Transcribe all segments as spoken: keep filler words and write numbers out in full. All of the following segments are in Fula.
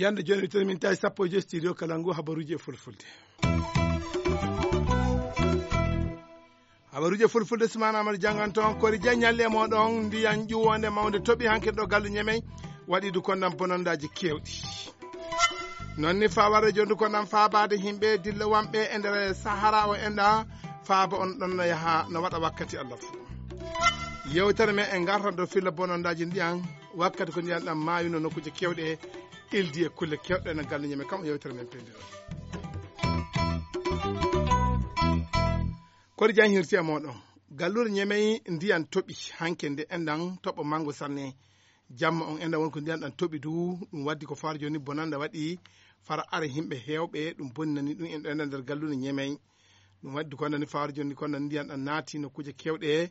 Yande jooni, mi tawi sappo e joyi studio kala ngu habaruuji e fulfulde. Habaruuji e fulfulde, Sumaana Amadu jannganto on. Kori Jeŋ ñalli e mooɗon. Ndiyan ƴuwonde mawnde toɓi hanki ɗo gallu Ñemey, waɗi du kondan bonondaaji keewɗi. Non ni faa warde jondu kondan faabaade himɓe dilla wanɓe e nder Sahara o enɗa, faaba on ɗon no yaha no waɗa wakkati Allah fuu. Yewtere men e ngartan do filla bonondaaji ndiyan, wakkati ko ndiyan ɗan maayuno nokkuuje keewɗe, ildi e kulle keewɗe no gallu Ñemey kam o yewtere men pelliro. Kori Jeŋ hirti e mooɗon. Gallure Ñemey ndiyan toɓi hanke nde enɗan toɓo mango sanne. Jamma on enɗan woni ko ndiyan ɗan toɓi du, ɗum waddi ko far jooni bonanda waɗi fara are himɓe heewɓe, ɗum bonninani ɗum en ɗo enɗan nder gallure Ñemey. Ɗum waddi ko nani far jooni ko nani ndiyan ɗan naati nokkuuje keewɗe,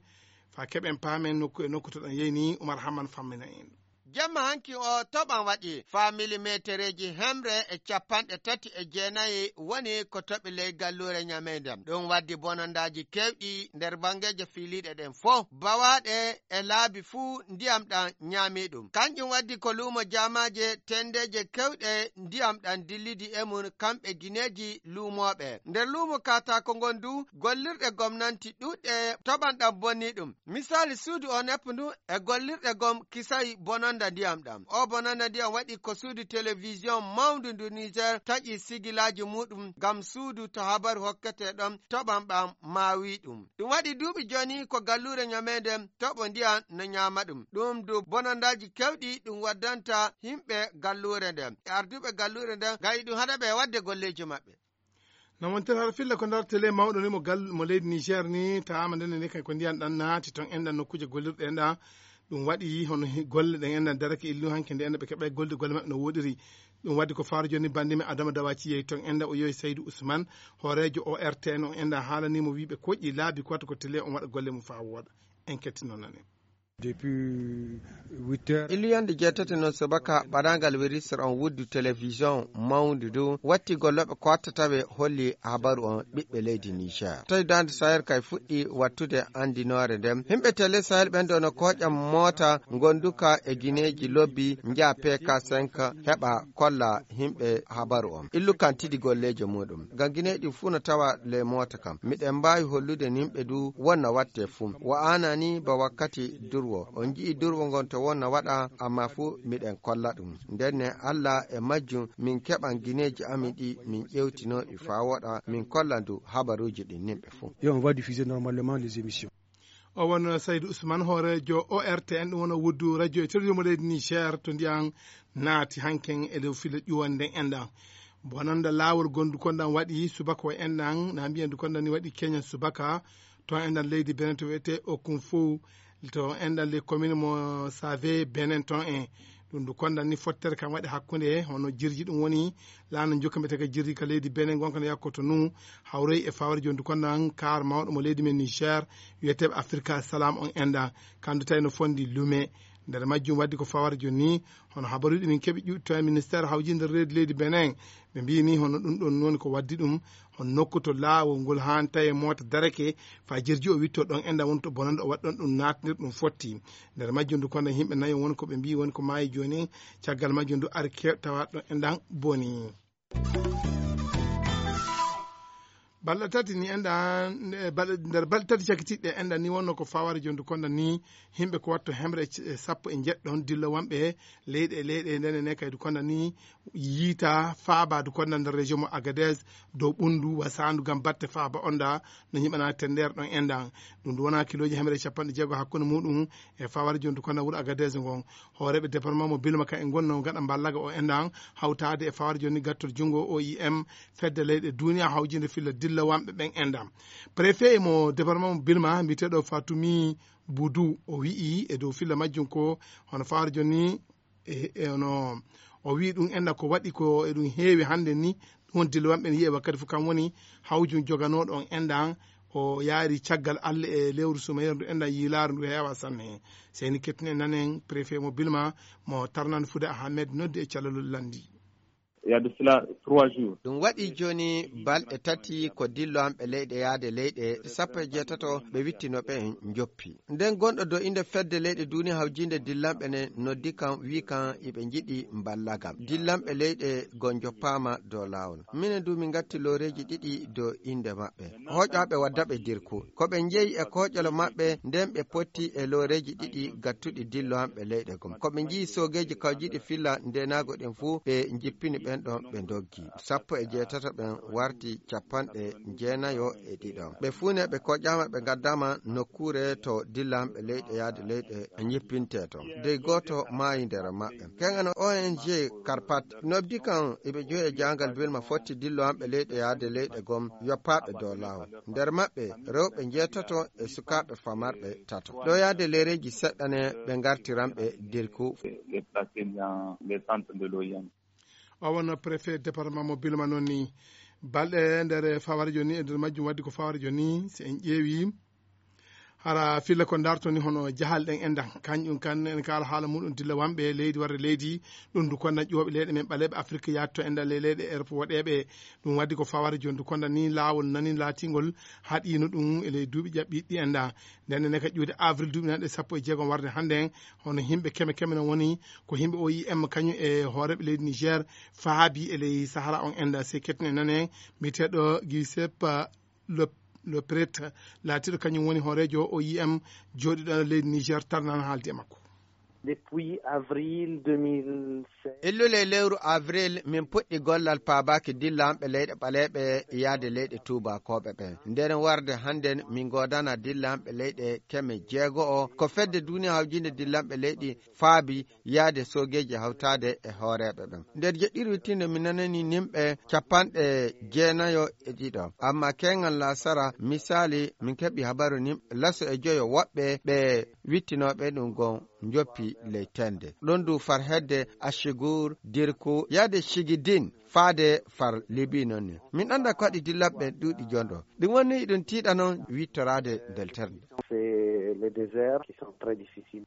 faa keɓen paamen nokku e nokku to ɗan yeyni. Umar Hamman fammina en. Jemma hanki o toɓan waɗi faa milimeetereeji hemre e capanɗe tati e jeenayi woni ko toɓi ley galluure Ñamey nden. Ɗum waddi bonondaaji keewɗi nder banngeeje fiiliiɗe ɗen fof. Bawaaɗe e laabi fuu ndiyam ɗam ñaamii ɗum. Kanƴum waddi ko luumo jaamaaje tenndeeje keewɗe ndiyam ɗam dillidi e mum kamɓe gineeji luumooɓe. Nder luumo kaataako ngon du, gollirɗe gomnanti ɗuuɗɗe toɓan ɗam bonnii ɗum. Misaali suudu o neppu ndu e gollirɗe gom kisayi bononda ndiyam ɗam. O bononda ndiyam waɗi ko suudu telewisiyon mawndu ndu Niger taƴi sigilaaji muuɗum ngam suudu to habaru hokketee ɗon toɓan ɓam maawi ɗum. Ɗum waɗi duuɓi jooni ko galluure Ñamey nden toɓo ndiyam no ñaama ɗum. Ɗum du bonondaaji keewɗi ɗum waddanta yimɓe galluure nden. E arduɓe galluure nden ngayi ɗum haɗa ɓe waɗde golleeji maɓɓe. No wontere hara filla ko nder tele mawɗo ni mo gal-, mo leydi Niger ni, tawaama nden ne kay ko ndiyan ɗan naati ton enɗan nokkuuje gollirɗe enɗan. Ɗum waɗi hono hi-, golle ɗen enɗan darake illu hanke nde enɗan ɓe keɓay golde golle maɓɓe no woɗiri. Ɗum waɗi ko faaru jooni bannde men Adama Dawaci yehi ton enɗan o yohi Saydu Usman, hooreejo O R T N on enɗan haalani mo wiiɓe koƴƴi laabi ko watta ko tele on waɗa golle mum faa wooɗa. En kettino nanen. Depuis huit heures. Illuyande jeetati noon subaka, ɓadaangal wirisere on wuddu telewisiyon mawndu ndu, watti gollooɓe ko watta tawe holli habaru on ɓiɓɓe leydi Niger. Tawi Daande Sahel kay fuɗɗi wattude anndinoore nden. Yimɓe Tele Sahel ɓen ɗo no kooƴa moota ngonduka e gineeji lobbi, njaha P K cinq, heɓa kolla yimɓe habaru on. Illu kan tidi golleejo muuɗum. Ngam gineeji ɗin fuu no tawa ley moota kan. Miɗen mbaawi hollude yimɓe du wonna watte fuu. Wa'aana ni ba wakkati durwo. On nji'i durwo ngon to wonna waɗa, amma fuu miɗen kolla ɗum. Nden ne Alla e majjum min keɓan gineeji amin ɗi min ƴewtino ɗi faa woɗa, min kolla du habaruuji ɗin yimɓe fuu. Et on va diffuser normalement les émissions. O won Saydou Ousmane, hooreejo O R T N, ɗum woni wuddu radio e télévision mo leydi Niger, to ndiyan naati hanken e dow filla ƴuwande nden enɗan. Bonanda laawol gondu kondan waɗi subaka o enɗan, na mbiyan du kondan ni waɗi Kenya subaka, to enɗan leydi Benin to wiyetee Okunfu, to enɗan les communes mo Save Benin ton en. Ɗum du kondan ni fottere kan waɗi hakkunde hono jirji ɗum woni laana jokka mbiyetee ka jirji ka leydi Benin gonka no yakkoto nu, hawroy e fawre jondu kondan kaar mawɗo mo leydi men Niger, wiyeteeɓe Afrika Salam on enɗan. Kandu tawi no fondi lume. Nder majjum waddi ko fawre jonni, hono habaruuji min keɓi ƴuwɗi to e ministère hawjinde reedi leydi Benin. Ɓe mbiyi ni hono ɗum ɗon woni ko waddi ɗum, hono nokku to laawol ngol haan tawi moota darake, faa jirji o witto ɗon enɗan woni to bonande o waɗi ɗon ɗum naatnir ɗum fotti. Nder majjum du kondan yimɓe nayo woni ko ɓe mbiyi woni ko maayi jooni, caggal majjum du ari kew-, tawa ɗon enɗan boni. Balɗe tati ni enɗan, e balɗe, nder balɗe tati cakitiɗɗe enɗan ni wonno ko faware jondu kondan ni yimɓe ko watto hemre e c-, e sappo e njeɗɗon dillowanɓe leyɗe e leyɗe ndene ne kaydu kondan ni yiita faabadu kondan nder région mo Agadez dow ɓundu wasandu ngam batte faaba onda no nyiɓana tender ɗon enɗan. Ɗum du wona kilooji hemre e capanɗe jeego hakkunde muɗum e faware jondu kondan wuro Agadez ngon. Hooreeɓe département mo Bilma kan e ngonno gaɗa mballaga o enɗan hawtaade e fawre jonni gattol junngo O I M, fedde leyɗe duniya hawjinde filla dillawanɓe ɓen enɗan. Préfet mo département mo Bilma, mbiyeteeɗo Fatumi Budu, o wi'i e dow filla majjum ko hono fawre jonni, e, e hono o wi'i ɗum enɗan ko waɗi ko e ɗum heewi hannde ni, ɗum woni dillawanɓe ne yi'e wakkati fof kam woni hawjum joganooɗo on enɗan, o yaari caggal Alla e lewru sumayere ndu enɗan yiilaaru ndu heewa sanne. Seyni kettinen nanen préfet mo Bilma mo Tarnan Fude Ahmed noddi e calalol lanndi. Il y a de cela trois jours. Ɗum waɗi jooni balɗe tati ko dillowanɓe leyɗe yahde leyɗe sappo e jeetato ɓe wittino ɓe njoppi. Nden gonɗo dow innde fedde leyɗe duuniya hawjinde dillanɓe ne noddi kam, wi kam iɓe njiɗi mballagam. Dillanɓe leyɗe go njoppaama dow laawol. Minen du min ngatti looreeji ɗiɗi dow innde maɓɓe. Hooƴaaɓe wadda ɓe dirku. Ko ɓe njeyi e kooƴol maɓɓe, nden ɓe potti e looreeji ɗiɗi gattuɗi dillowanɓe leyɗe gom. Ko ɓe njiyi soogeeji kawjiiɗi filla ndeenaago ɗin fuu, ɓe njippini ɓen ɗon, ɓe ndoggi. Sappo e jeetato ɓen warti capanɗe jeenayo e ɗiɗo. Ɓe fuu ne ɓe kooƴaama, ɓe ngaddaama nokkuure to dillanɓe leyɗe yahde leyɗe njippintee ton. Dey gooto maayi nder maɓɓe. Keŋŋan O N G Karpat noddi kam iɓe joyi e jaangal bilma fotti dillowanɓe leyɗe yahde leyɗe gom yoppaaɓe dow laawol. Nder maɓɓe, rewɓe njeetato e sukaaɓe famarɓe tato. Ɗo yahde leereeji seɗɗa ne ɓe ngartiranɓe dirku. Les placés dans les centres de l'O I M. O wonno préfet département mo Bilma noon ni. Balɗe nder faware jooni, e nder majjum waddi ko faware jooni, si en ƴeewi, hara filla ko darto ni hono jahal ɗen enɗan. Kanƴum kan en kaala haala muɗum dilla wanɓe leydi warde leydi, ɗum du konda ƴooɓe leyɗe men ɓaleeɓe Afrik yaatto enɗan ley leyɗe Europe woɗeeɓe. Ɗum waddi ko faware jooni du konda ni laawol nani laatingol haɗiino ɗum e ley duuɓi ƴaɓɓiiɗi enɗan. Nden ne ka ƴuude avril duuɓi nanɗe sappo e jeegom warde hannde en, hono yimɓe keme keme no woni ko yimɓe O I M kañum e hooreeɓe leydi Niger faabi e ley Sahara on enɗan. Se kettine nane, mbiyeteeɗo Giuseppe Le, Le Pret, laatiiɗo kañum woni hooreejo O I M jooɗiiɗo leydi Niger, tarnan haaldi e makko. Depuis avril deux mille seize. Illule lewru avril, min puɗɗi gollal paabaaki dillanɓe leyɗe ɓaleeɓe yaade leyɗe tuubakooɓe ɓen. Nden warde hannden, min ngoodana dillanɓe leyɗe keme jeego'o. Ko fedde duuniya hawjinde dillanɓe leyɗi faabi yaade soogeeji hawtaade e hooreeɓe ɓen. Nder jeɗɗiri wittiinde, mi nanani nimɓe capanɗe jeenayo e ɗiɗo. Amma keeŋal laasara, misaali, min keɓi habaru nimɓe laso e joyo woɓɓe ɓe wittinooɓe ɗum gon njoppi ley tende. Ɗon du far hedde Ashigur, Dirku, yaade Shigidin, faade far Libi noon ni. Min annda ko waɗi dillanɓe ɓen ɗuuɗi jondo. Ɗum woni ɗum tiiɗa noon wittoraade ndelterde. C'est le désert qui sont très difficiles.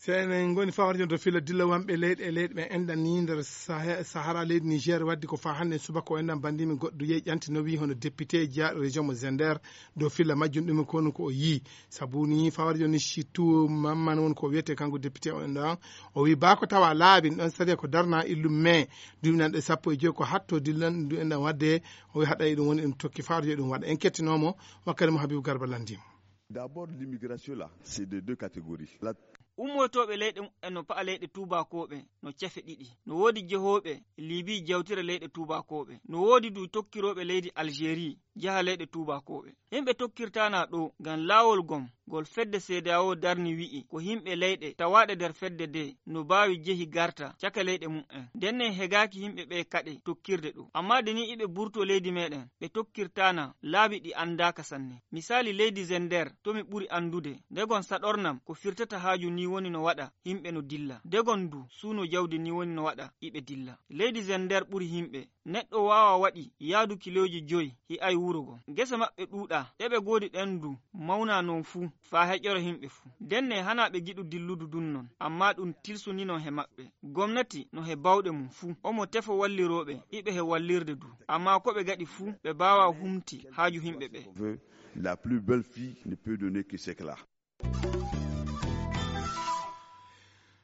Si enen ngoni fawre jooni to filla dillanɓe leyɗe e leyɗe ɓen enɗan ni nder Sahe-, Sahara leydi Niger waddi ko faa hannde subaka o enɗan banndimi goɗɗo yehi ƴanti no wi'i hono député jeyaaɗo région mo Zender dow filla majjum ɗum ko woni ko o yii. Sabu ni fawre jooni Chitu Mamman woni ko wiyetee kanko député o enɗan. O wi'i baa ko tawa laabi ɗon sariya ko darna illum mai duuɓi nanɗe sappo e joyi ko hatto dillan ɗum enɗan wadde. O wi'i haɗa e ɗum woni ɗum tokki fawre jooni ɗum waɗa. En kettinoomo wakkati mo Habibu Garba lanndimo. D'abord, l'immigration là, c'est de deux catégories. La Ummotooɓe leyɗe muɓɓen no pa'a leyɗe tuubakooɓe no cefe ɗiɗi. No woodi jehooɓe Libi jawtira leyɗe tuubakooɓe. No woodi du tokkirooɓe leydi Algérie jaha leyɗe tuubakooɓe. Yimɓe tokkirtaana ɗo ngam laawol gom ngol fedde C D A O darni wi'i ko yimɓe leyɗe tawaaɗe nder fedde de no baawi jehi garta caka leyɗe muɓɓen. Ndenne hegaaki yimɓe ɓe kaɗe tokkirde ɗo. Amma de ni iɓe burto leydi meɗen, ɓe tokkirtaana laabi ɗi anndaaka sanne. Misaali leydi Zender to mi ɓuri anndude, ndegon saɗornam ko firtata haaju ni woni no waɗa, yimɓe no dilla. Ndegon du suuno jawdi ni woni no waɗa, iɓe dilla. Leydi Zender ɓuri yimɓe. Neɗɗo waawa waɗi yaadu kilooji joyi hi'ay wuro gon. Gese maɓɓe ɗuuɗa, ɗe ɓe goodi ɗen du mawna non fuu, faa heƴora yimɓe fuu. Ndenne hanaa ɓe giɗu dilludu dun non, amma ɗum tilsunino he maɓɓe. Gomnati no he bawɗe mum fuu. Omo tefo wallirooɓe, iɓe he wallirde du. Amma ko ɓe gaɗi fuu, ɓe baawa humti haaju yimɓe ɓe. Veut la plus belle fille ne peut donner que ce qu'elle a.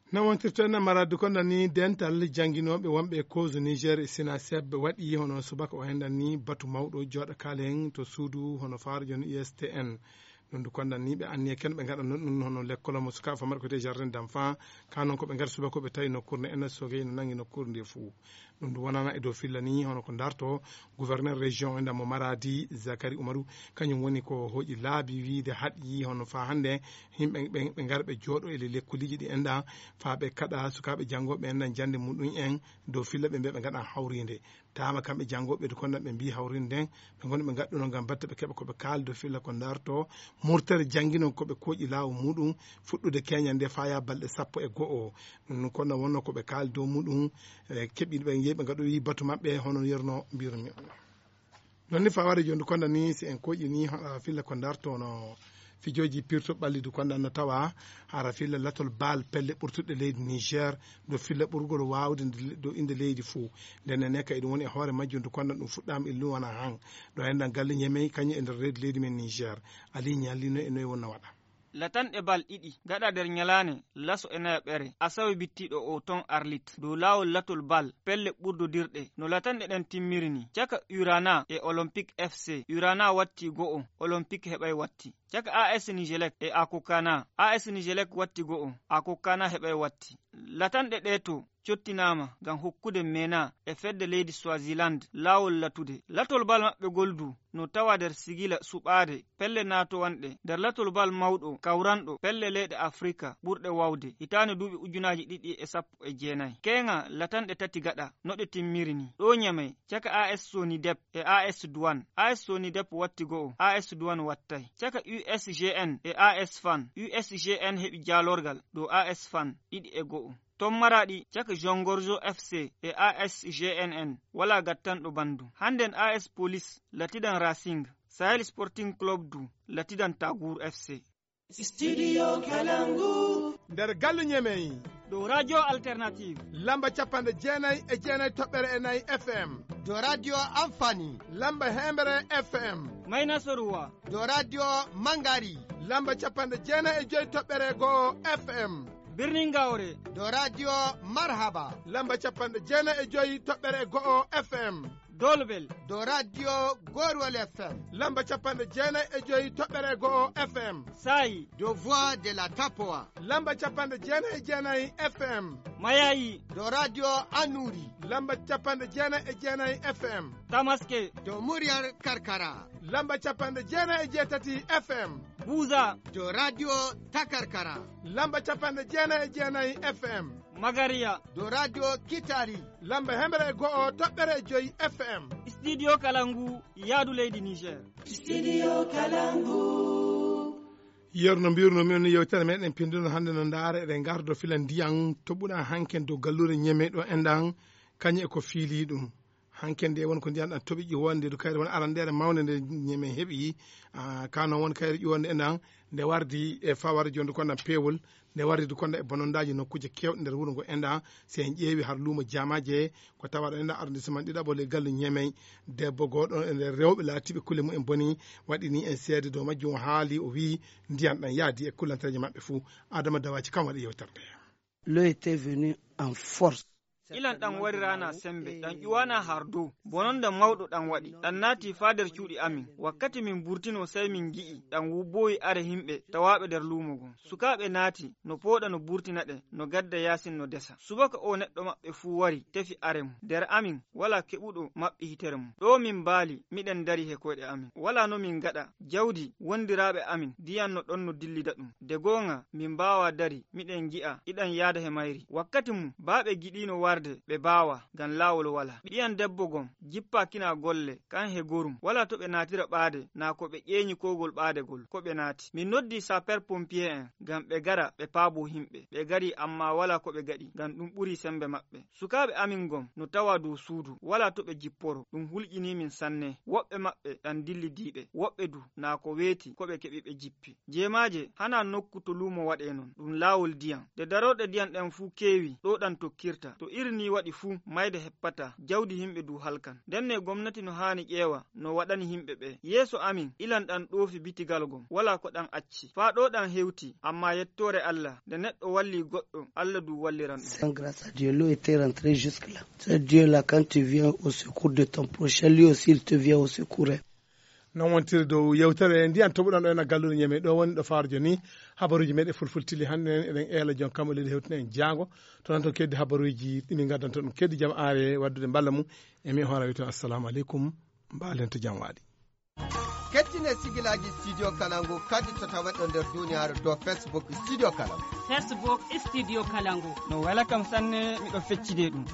No wontirto en maradu ko nani dental jannginooɓe wonɓe e Kozu Niger e Sinaseb waɗi hono subaka o hendan ni batu mawɗo jooɗa kaalen to suudu hono faarujo no U S T N. Ɗum du kondan ni ɓe anniya ken ɓe ngaɗa non ɗum hono lekkol mo sukaaɓe famarɓe ko te jardin d'enfant. Ka non ko ɓe ngaɗa subaka ko ɓe tawi nokkuure nde N S O G no nangi nokkuure nde fuu. Ɗum du wonana e dow filla ni hono ko darto gouverneur région e ndamo Maradi Zakari Umaru, kañum woni ko hoƴi laabi wiide haɗi hono faa hannde yimɓe ɓe, ɓe ngara ɓe jooɗo e le lekkoliji ɗi enɗa faa ɓe kaɗa sukaaɓe janngooɓe enɗan jannde muɗum en dow filla ɓe mbiya ɓe ngaɗan hawrinde. Taama kamɓe janngooɓe to kondan ɓe mbii hawrinde nden ɓe ngoni ɓe ngaɗɗuno ngam batte ɓe keɓa ko ɓe kaali dow filla ko darto murtere janngino ko ɓe kooƴi laawo muɗum fuɗɗude keñal nde faa yaa balɗe sappo e go'o. Ɗum ɗum kono wonno ko ɓe kaali dow muɗum, e keɓiiɓe ɓe yehi ɓe ngaɗoyi batu maɓɓe hono yerno mbirmi on. Non ni faware jooni kono ni si en koƴi ni hoɗa filla ko darto no Fijooji pirto ɓallidu kondan no tawa hara filla latol baal pelle ɓurtuɗe leydi Niger, do filla ɓurgol waawde nde- do innde leydi fuu. Nden ne kay ɗum woni e hoore majjum ndu kondan ɗum fuɗɗaama e luwana han. Ɗo enɗan galle Ñemey kañum e nder reedu leydi men Niger. Ali ñallino e noye wonno waɗa. Latanɗe bal ɗiɗi gaɗa nder ñalaane laso e nayaɓere asawe bittiiɗo o ton Arlit dow laawol latol bal pelle ɓurdodirɗe no latanɗe ɗen timmiri ni. Caka Urana e Olympique F C, Urana watti go'o, Olympique heɓay watti. Caka A S Nijelek e Akokana, A S Nijelek watti go'o, Akokana heɓay watti. Latanɗe ɗee to cottinaama ngam hokkude Mena e fedde leydi Swaziland laawol latude. Latol bal maɓɓe gol du no tawa nder sigila suɓaade pelle naatowanɗe nder latol bal mawɗo kawranɗo pelle leyɗe Afrika ɓurɗe wawde hitaande duuɓi ujunaaji ɗiɗi e sappo e jeenayi. Keeŋa latanɗe tati gaɗa no ɗe timmiri ni. Ɗo Ñamey, caka A S Sonidep e A S Duwan. A S Sonidep watti go'o, A S Duwan wattay. Caka U S G N e A S Fan, U S G N heɓi jaalorgal dow A S Fan ɗiɗi e go'o. Ton Maraɗi caka Jongorjo F C e A S G N N walaa gattanɗo banndum. Hannden A S Police latidan Racing, Sahel Sporting Club du latidan Tagour F C. Studio Kalangu. Nder galle Ñemey. Dow Radio Alternative. Lamba capanɗe jeenayi e jeenayi toɓɓere e nayi F M. Dow Radio Amfani. Lamba heembere F M. Mayna Soruwa. Dow Radio Mangari. Lamba capanɗe jeenayi e joyi toɓɓere go'o F M. Birnin Gawre. Dow Radio Marhaba. Lamba capanɗe jeenayi e joyi toɓɓere go'o F M. Dolbel. Dow Radio Gorwal F M. Lamba capanɗe jeenayi e joyi toɓɓere go'o F M. Saayi. Dow Voix de la Tapoa. Lamba capanɗe jeenayi e jeenayi F M. Mayayi. Dow Radio Anuri. Lamba capanɗe jeenayi e jeenayi F M. Tamaske. Dow Muryar Karkara. Lamba capanɗe jeenayi e jeetati F M. Buza. Dow Radio Takarkara. Lamba capanɗe jeenayi e jeenayi F M. Magariya. Dow Radio Kitari. Lamba hemre e go'o toɓɓere e joyi F M. Studio Kalangu, yaadu leydi Niger. Studio Kalangu. Yer no mbirno min yewtere meɗen pinduno hannde no ndaara eɗen ngardo filan ndiyan toɓuɗa hanken dow gallure Ñeme ɗo enɗan kañe e ko fiili ɗum. Hanken nde won ko ndiyan ɗan toɓi ƴiwonde du kayre won arandere mawnde nde Ñeme heɓi. Ah, kano won kayre ƴiwonde enɗan nde wardi e fawar jonde ko enɗan peewol nde wardi du konda e bonondaji nokkuuje kewɗe nder wuro ngo enɗan. Si en ƴeewi har luumo Jaamaje ko tawaɗo enɗan arrondissement ɗiɗaɓo le galle Ñeme, debbo goɗo e nder rewɓe laatiɓe kulle mumen boni waɗi ni en seede dow majjum. O haali, o wi ndiyan ɗan yaadi e kullantereje maɓɓe fuu. Adama Dawaji kam waɗi yewtere nde. L'eau était venue en force. Ilan ɗan warirana sembe, ɗan ƴuwana har dow. Bononda mawɗo ɗan waɗi, ɗan naati faa nder cuuɗi amin. Wakkati min burtino, sey min ngi'i ɗan wubboowi are himɓe tawaaɓe nder luumo ngon. Sukaaɓe naati, no pooɗa no burtina ɗe, no gadda yaasin no desa. Subaka o neɗɗo maɓɓe fuu wari, tefi are mum. Nder amin, walaa keɓuɗo maɓɓi hitere mum. Ɗo min mbaali, miɗen dari he koyɗe amin. Walaa no min ngaɗa. Jawdi wondiraaɓe amin ndiyan no ɗon no dillida ɗum. De gooŋa, min mbaawaa dari, miɗen ngi'a iɗan yaada he mayri. Wakkati mum, baa ɓe giɗiino warde, ɓe mbaawaa, ngam laawol walaa. Ɓiyan debbo gom jippaakina golle, kan he gorum. Walaa to ɓe naatira ɓaade, naa ko ɓe ƴeeñi koogol ɓaade gol, ko ɓe naati. Min noddi sapeur pompier en, ngam ɓe gara, ɓe paaboo himɓe. Ɓe gari, ammaa walaa ko ɓe gaɗi, ngam ɗum ɓurii sembe maɓɓe. Sukaaɓe amin gom no tawa dow suudu, walaa to ɓe jipporo. Ɗum hulƴinii min sanne. Woɓɓe maɓɓe ɗan dillidiiɓe, woɓɓe du naa ko weeti ko ɓe keɓi ɓe jippi. Jeemaaje hanaa nokku to luumo waɗee non, ɗum laawol ndiyan. Nde darorɗe ndiyan ɗen fuu keewi, ɗo ɗan tokkirta. To iri nii waɗi fuu, mayde heppataa, jawdi himɓe du halkan. Nden ne gomnati no haani ƴeewa no waɗani himɓe ɓe. Yeeso amin, ilan ɗan ɗoofi bitigal gom, walaa ko ɗan acci. Faa ɗo ɗan hewti, ammaa yettoore Alla, nde neɗɗo wallii goɗɗo, Alla du walliran ɗum. C'est grâce à Dieu, l'eau était rentrée jusque-là. C'est Dieu là, quand tu viens au secours de ton prochain, lui aussi, il te vient au secours, hein. Non wontiri dow yewtere ndiyan toɓuɗan ɗo ena gallude Ñeme ɗo woni ɗo faaro jooni. Habaruuji meɗen fulfultili hannde en eɗen eela joom kam o leydi hewtina en jaango. To nan to keddi habaruuji ɗi min ngaddanta ɗum keddi jam aare waddude mballa mum. E min hoora wiyto assalamu aleykum. Mbaalen to jam waali. Kettine sigilaaji Studio Kalangu kadi to taweɗo nder duniyaaru dow Facebook Studio Kalangu. Facebook Studio Kalangu. No wela kam sanne, miɗo feccide ɗum.